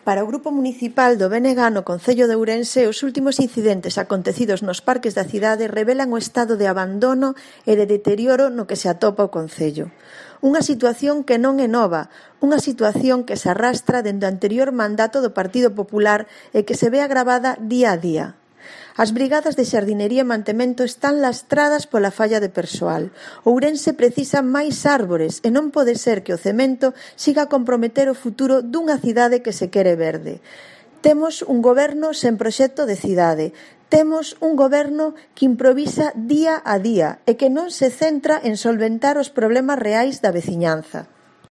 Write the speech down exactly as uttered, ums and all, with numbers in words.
Para o Grupo Municipal do B N G no Concello de Ourense, os últimos incidentes acontecidos nos parques da cidade revelan o estado de abandono e de deterioro no que se atopa o Concello. Unha situación que non é nova, unha situación que se arrastra dende o anterior mandato do Partido Popular e que se ve agravada día a día. As brigadas de xardinería e mantemento están lastradas pola falla de persoal. Ourense precisa máis árbores e non pode ser que o cemento siga a comprometer o futuro dunha cidade que se quere verde. Temos un goberno sen proxecto de cidade. Temos un goberno que improvisa día a día e que non se centra en solventar os problemas reais da veciñanza.